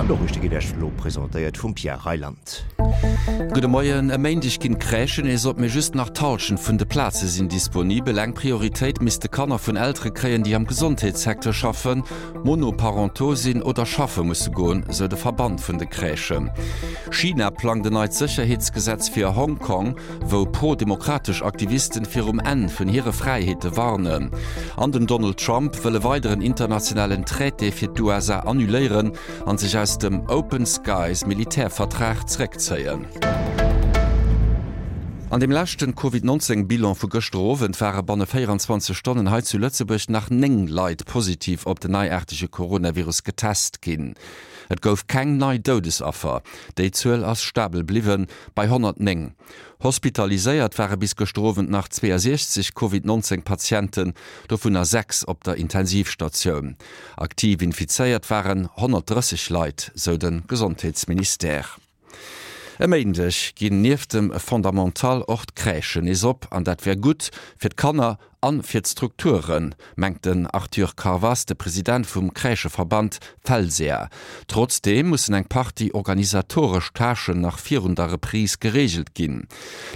An d'Noriichte ginn Iech elo presentéiert vum Pierre Reyland. Gudde Moien, E Méindeg ginn d'Crèchen nees op, mee just nach d'Hallschent vun de Plaze sinn disponibel. Eng Prioritéit misste Kanner vun Eltere kréien, déi am Gesondheetssecteur schaffen, monoparentaux sinn oder schaffe musse goen, sou de Verband vun de Crèchen. China plangt en neit Sécherheetsgesetz fir Hong Kong, wou pro-demokratesch Aktivisten virum Enn vun hire Fräiheete warnen. An den Donald Trump wëll e weideren internationalen Traité fir d'USA annuléieren an sech aus dem Open Skies Militärvertrag zeréckzéien. An deem leschten Covid 19 Bilan vu gëschter Owend ware banne 24 Stonnen hei zu Lëtzebuerg nach 9 Leit positiv op den neiaartege Coronavirus getest ginn. Et gouf keng nei Doudesaffer, déi Zuel ass stabel bliwwen bei 109. Hospitaliséiert ware bis gëschter Owend nach 62 Covid 19 Patienten, dovunner 6 op der Intensivstatioun. Aktiv infizéiert waren 130 Leit, sou de Gesondheetsministère. E Méindeg ginn nieft dem Fondamental och d'Crèchen nees op an dat wär gutt fir d'Kanner an fir d'Strukturen, mengt den Arthur Carvas, de President vum Crècheverband Felsea. Trotzdeem mussen eng Partie organisatoresch Tâchen nach virun der Reprise gereegelt ginn.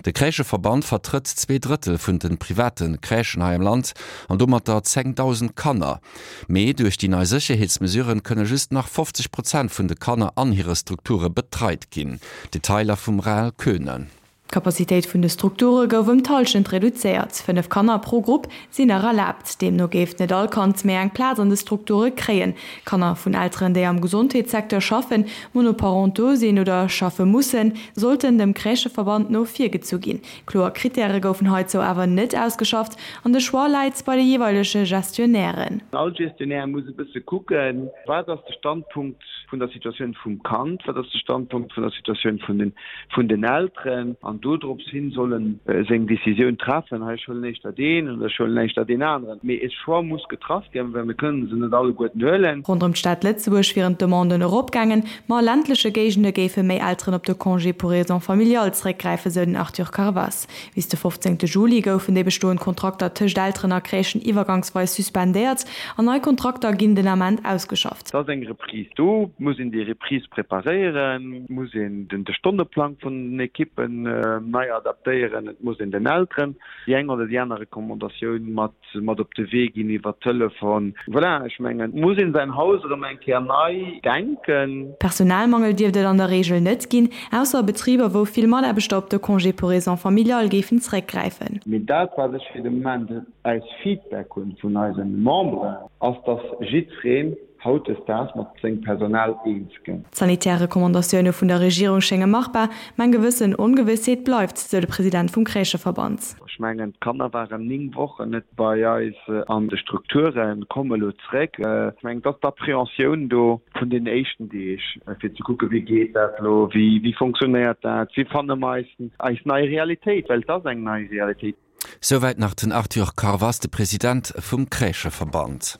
De Crècheverband vertrëtt 2/3 vun de private Crèchen hei am Land an domatter 10.000 Kanner. Mee duerch déi nei Sécherheetsmesuren kënne just nach 50 Prozent vun de Kanner an hire Strukture betreit ginn. Detailer vum Rahel Koehne. D'Capacitéit vun de Strukture gouf ëm d'Hallschent reduzéiert. 5 Kanner pro Grupp sinn nach erlaabt. Deemno géif net all Kand méi eng Plaz an de Strukture kréien. Kanner vun Elteren, déi am Gesondheetssecteur schaffen, monoparentaux sinn oder schaffe mussen, sollten dem Crècheverband no virgezu ginn. Kloer Krittäre goufen heizou awer net ausgeschafft an de Choix läit bei de jeeweilege Gestionnairen. All Gestionnaire muss e bësse kucken, Wat ass de Standpunkt vun der Situatioun vum Kand, wat ass de Standpunkt vun der Situatioun vun den, vun den Elteren an dodrops hin soll en seng Décisioun treffen, hei ech huelen éischter deen oder ech huelen éischter deen aneren. Mee e Choix muss getraff ginn, well mir kënnen se net alleguerten huelen. Ronderëm d'Stad Lëtzebuerg wieren d'Demanden eropgaangen, ma a ländleche Géigende géife méi Elteren op de Congé pour raisons familiales zeréckgräifen, sou den Arthur Carvas. Bis de 15 Juli goufen déi bestoend Kontrakter tëscht Elteren a Crèchen iwwergangsweis suspendéiert an nei Kontrakter ginn den Ament ausgeschafft. Et ass eng Reprise do, et muss een déi Reprise preparéieren, et muss een de Stonneplang vun den Ekippen nei adaptéieren, et muss een den Elteren déi eng oder déi aner Recommandatioun mat mat op de Wee ginn iwwer Telefon. Voilà, ech mengen, et muss een säin Haus erëm eng Kéier nei denken. Personalmangel dierft et an der Reegel net ginn, ausser a Betriber, wou vill Mataarbechter op de Congé pour raisons familiales géifen zeréckgräifen. Mee dat, wat ech fir de Moment als Feedback hunn vun eise Memberen, ass, dass jiddwereen hautdesdaags mat sengem Personal eens gëtt. D'sanitär Recommandatioune vun der Regierung schénge machbar, mä eng gewëssen Ongewëssheet bleift, sou de President vum Crècheverband. Ech mengen, d'Kanner waren 9 Wochen net bei eis an de Strukturen, komme elo zréck. Ech mengen, et ass d'Appréhensioun do vun den éischten Deeg, fir ze kucken, wéi geet dat elo, wéi fonctionnéiert dat, wéi fanne mer eis nei Realitéit, well et ass eng nei Realitéit. Souwäit nach den Arthur Carvas, de President vum Crècheverband.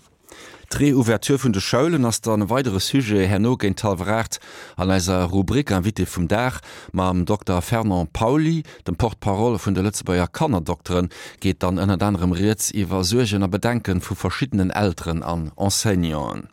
D'Reouverture vun de Schoulen ass dann e weidere Sujet herno géint hallwer 8 an eiser Rubrik Invité vum Dag. Mam Dokter Fernand Pauly, dem Porte-parole vun de Lëtzebuerger Kannerdokteren, geet dann ënnert anerem rieds iwwer Suergen a Bedenken vu verschiddenen Elteren an Enseignanten.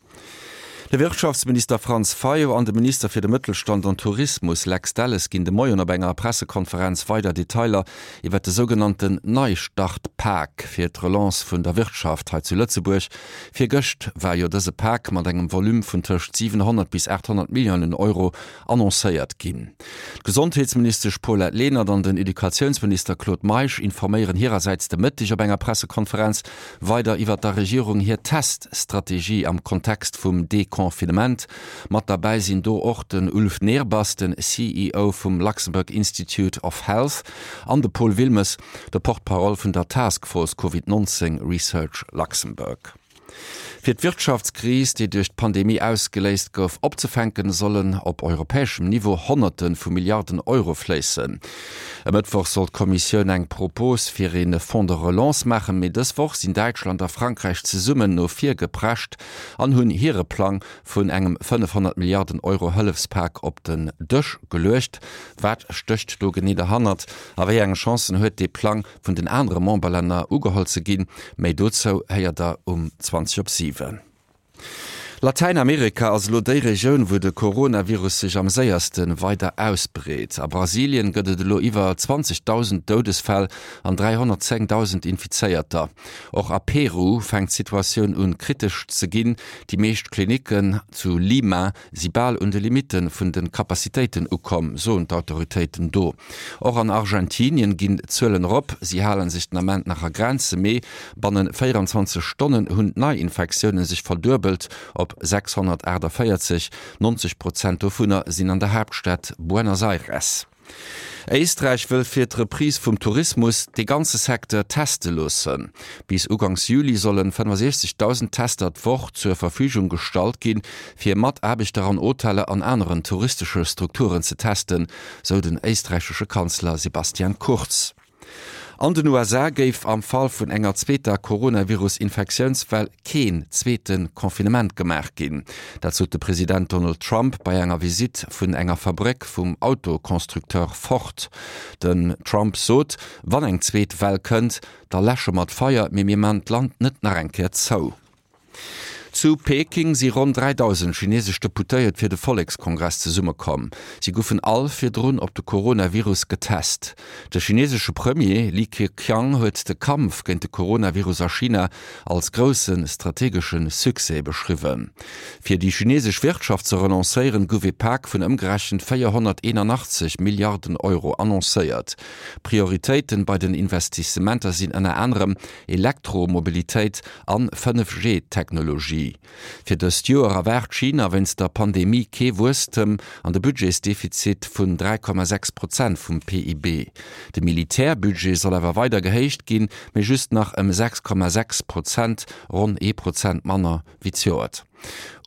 De Wirtschaftsminister Franz Fayot an de Minister fir de Mëttelstand an Tourismus Lex Delles ginn de Moien op enger Pressekonferenz weider Detailer iwwer de sougenannten Neistartpak fir d'Relance vun der Wirtschaft hei zu Lëtzebuerg. Virgëscht war jo dëse Pak mat engem Volume vun tëscht 700 bis 800 Milliounen Euro annoncéiert ginn. D'Gesondheetsministesch Paulette Lenert an den Educatiounsminister Claude Meisch informéieren hirersäits de Mëtteg op enger Pressekonferenz weider iwwer der Regierung hir Teststrategie am Kontext vum Deconfinement. Mat derbäi sinn do och den Ulf Nehrbass, den CEO vum Luxembourg Institute of Health an de Paul Wilmes, de Porte-parole vun der Task Force Covid 19 Research Luxembourg. Fir d'Wirtschaftskris, déi duerch d'Pandemie ausgeléist gouf, opzefänken, sollen op europäeschem Niveau Honnerte vu Milliarden Euro fléissen. E Mëttwoch soll d'Kommissioun eng Propos fir ee Fonds de relance maachen, mee dës Woch sinn Däitschland a Frankräich zesummen no vir geprescht an hunn hire Plang vun engem 500 Milliarden Euro Hëllefspak op den Dësch geluecht. Wat stécht do genee derhannert a wéi eng Chancen huet dee Plang vun den anere Memberlänner ugeholl ze ginn. Méi dozou héiert der um 20 op 7. Latäinamerika ass elo déi Regioun, wou de Coronavirus sech am séierste weider ausbreet. A Brasilien gëtt et elo iwwer 20.000 Doudesfäll an 310.000 Infizéierter. Och a Peru fänkt d'Situatioun un kritesch ze ginn. Déi meescht Klinicken zu Lima si bal un de Limitte vun de Capacitéiten ukomm, soen d'Autoritéiten do. Och an Argentinien ginn d'Zuelen erop. Si hale sech den Ament nach a Grenze, mee banne 24 Stonnen hunn d'Neiinfektioune sech verduebelt op 648. 90 Prozent dovunner sinn an der Haaptstad Buenos Aires. Éisträich wëll fir d'Reprise vum Tourismus de ganze Secteur teste loossen. Bis uganks Juli sollen 65.000 Tester d'Woch zur Verfügung gestallt ginn, fir Mataarbechter an Hoteller an aneren touristesche Strukturen ze testen, sou den éisträichesche Kanzler Sebastian Kurz. An den USA géif am Fall vun enger zweeter Coronavirus-Infektiounswell keen zweete Confinement gemaach ginn. Dat sot de President Donald Trump bei enger Visitt vun enger Fabréck vum Autoconstructeur Ford. Den Trump sot, Wann eng zweet Well kënnt, da läsche mer d'Feier, mee mir man d'Land net nach eng Kéier zou. Zu Peking si ronn 3.000 chinesesch Deputéiert fir de Vollekskongress zesummekomm. Si goufen all virdrun op de Coronavirus getest. De chinesesche Premier Li Keqiang huet de Kampf géint de Coronavirus a China als grousse strategesche Succès beschriwwen. Fir déi chinesesch Wirtschaft ze relancéieren, gouf ee Pak vun ëmgerechent 481 Milliarden Euro annoncéiert. Prioritéiten bei den Investissementer sinn ënner anerem Elektromobilitéit an 5G-Technologie. Fir dëst Joer erwaart China wéinst der Pandemie kee Wuesstem an de Budgetsdefizit vun 3,6 Prozent vum PIB. De Militärbudget soll awer weider gehéicht ginn, mee just nach ëm 6,6 Prozent, ronn ee Prozent manner wéi zejoert.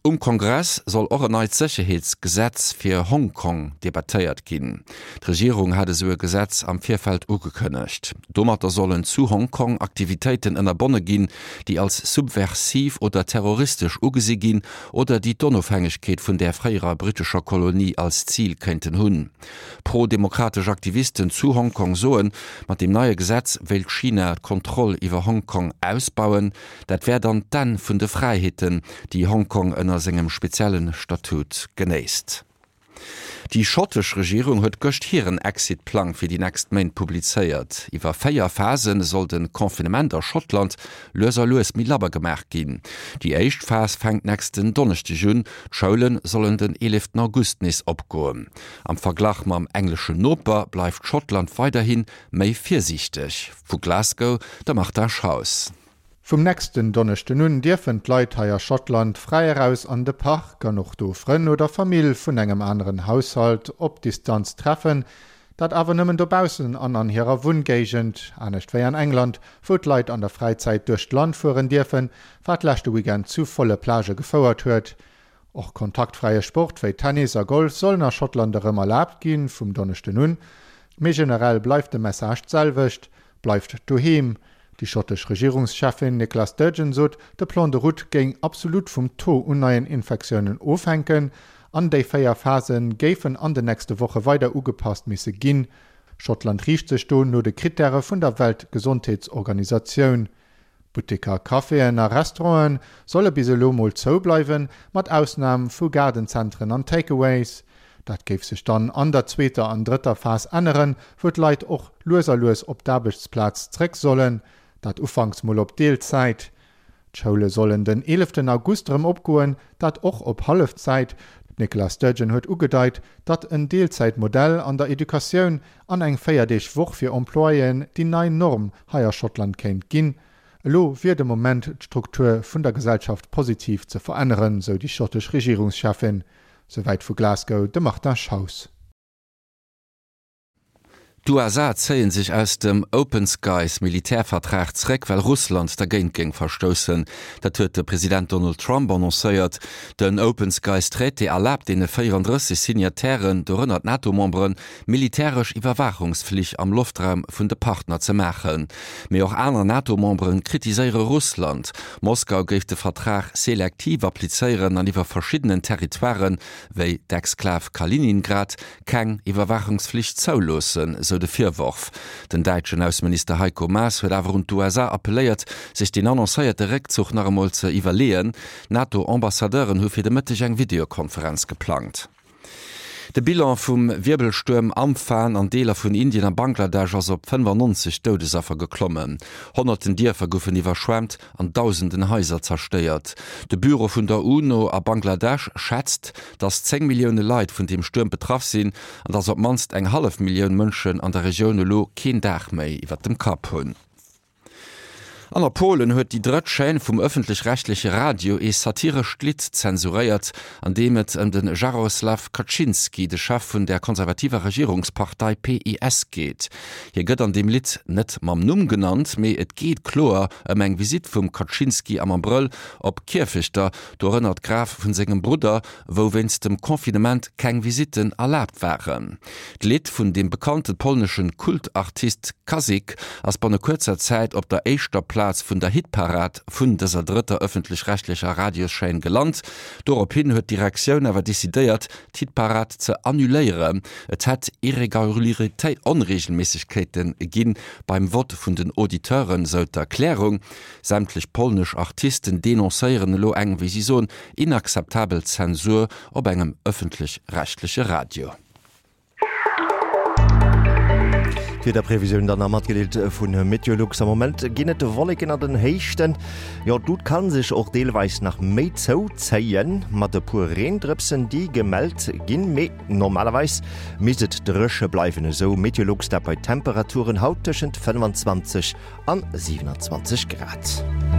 Um Kongress soll och en neit Sécherheetsgesetz fir Hongkong debattéiert ginn. D'Regierung hat esou e Gesetz am Virfeld ugekënnegt. Domatter sollen zu Hongkong Aktivitéiten ënnerbonne ginn, déi als subversiv oder terroristesch ugesi ginn oder déi d'Onofhängegkeet vun där fréierer brittescher Kolonie als Zil kéinten hunn. Pro-demokratesch Aktivisten zu Hongkong soen, mat deem neie Gesetz wéilt China d'Kontroll iwwer Hongkong ausbauen. Dat wär dann d'Enn vun de Fräiheeten, déi Hongkong ënner sengem spezielle Statut genéisst. Déi schottesch Regierung huet gëscht hiren Exit-Plang fir déi nächst Méint publizéiert. Iwwer 4 Phase soll de Confinement a Schottland lues a lues méi labber gemaach ginn. Déi éischt Phas fänkt nächsten Donneschdeg un, d'Schoule sollen den 11 August nees opgoen. Am Verglach mam engleschen Noper bleift Schottland weiderhi méi virsiichteg. Vu Glasgow de Martin Schaus. Vum nächsten Donneschden un dierfen d'Leit hei a Schottland fräi eraus an de Park an och do Frënn oder Famill vun engem aneren Haushalt op Distanz treffen. Dat awer nëmmen dobaussen an an hirer Wunngéigend, anescht wéi an England, wou d'Leit an der Fräizäit duerch d'Land fueren dierfen, wat leschte Weekend zu volle Plagë gefouert huet. Och kontaktfräie Sport wéi Tennis a Golf sollen a Schottland erëm erlaabt ginn, vum Donneschden un. Mee generell bleift de Message d'selwecht, Bleift doheem! Déi schottesch Regierungscheffin Nicola Sturgeon sot, de Plan de route géing absolut vum Taux un neien Infektiounen ofhänken an déi 4 Phase géifen an den nächste Woche weider ugepasst misse ginn. Schottland riicht sech do no de Krittäre vun der Weltgesondheetsorganisatioun. Butteker, Caféen a Restaurante solle bis elo mol zou bleiwen, mat Ausnam vu Gaardenzentren an Takeaways. Dat géif sech dann an der zweeter an drëtter Phas änneren, wou d'Leit och lues a lues op d'Aarbechtsplaz zréck sollen, dat ufanks mol op Deelzäit. D'Schoule sollen den eeleften August erëm opgoen, dat och op Hallefzäit. D'Nicola Sturgeon huet ugedeit, datt en Deelzäitmodell an der Educatioun an eng 4 Deeg Woch fir Employéen déi nei Norm hei a Schottland kéint ginn. Elo wier de Moment d'Struktur vun der Gesellschaft positiv ze veränneren, sou déi schottesch Regierungscheffin. Souwäit vu Glasgow de Martin Schaus. D'USA zéie sech aus dem Open Skies Militärvertrag zréck, well Russland dergéint géing verstoussen. Dat huet de President Donald Trump annoncéiert. Den Open Skies Traité erlaabt deene 34 Signatairen, dorënner d'NATO-Memberen, militäresch Iwwerwaachungsflich am Loftraum vun de Partner ze maachen. Mee och aner NATO-Membere kritiséiere Russland. Moskau géif de Vertrag selektiv applizéieren an iwwer verschiddenen Territoiren, wéi d'Exklav Kaliningrad, keng Iwwerwaachungsflich zouloossen, sou. esou de Virworf. Den däitschen Ausseminister Heiko Maas huet awer un d'USA appelléiert, sech deen annoncéierte Réckzuch nach emol ze iwwerleeën. D'NATO-Ambassadeuren hu fir de Mëtteg eng Videokonferenz geplangt. De Bilan vum Wierbelstuerm Amphan an Deeler vun Indien a Bangladesch ass op 95 Doudesaffer geklommen. Honnerten Dierfer goufen iwwerschwemmt an dausenden Haiser zerstéiert. De Büro vun der UNO a Bangladesch schätzt, datt 10 Millioune Leit vun deem Stuerm betraff sinn an datt op d'mannst eng hallef Millioun Mënschen an der Regioun elo keen Daach méi iwwer dem Kapp hunn. An a Polen huet déi drëtt Chaîne vum ëffentlech-rechtleche Radio ee satirescht Lidd zensuréiert, an deem et ëm de Jaroslaw Kaczynski, de Chef vun der konservativer Regierungspartei PiS geet. Hie gëtt an deem Lidd net mam Numm genannt, mee et geet kloer ëm eng Visitt vum Kaczynski am Abrëll op Kierfechter, dorënner d'Graf vun sengem Brudder, wou wéinst dem Confinement keng Visitten erlaabt waren. D'Lidd vun dem bekannte polneschen Kultartist Kazik ass banne kuerzer Zäit op der éischter Plaz vun der Hitparad vun dëser drëtter ëffentlech-rechtlecher Radioschaîne gelant. Dorophin huet d'Direktioun awer decidéiert, d'Hitparad ze annuléieren. Et hätt Onreegelméissegkeete gi beim Vott vun den Auditeuren, sou d'Erklärung. Sämtlech polnesch Artisten denoncéieren elo eng, wéi si soen, inakzeptabel Zensur op engem ëffentlech-rechtleche Radio. D'Wiederprevisioun dann nach matgedeelt vu Meteolux. Am Moment ginn et Wolleken an den Héichten. Jo, d'Lut ka sech och deelweis nach méi zouzéien, mat e puer Reendrëpsen, déi gemellt ginn, mee normalerweis misst et dréche bleiwen, esou Meteolux, dat bei Temperaturen haut tëschent 25 an 27 Grad.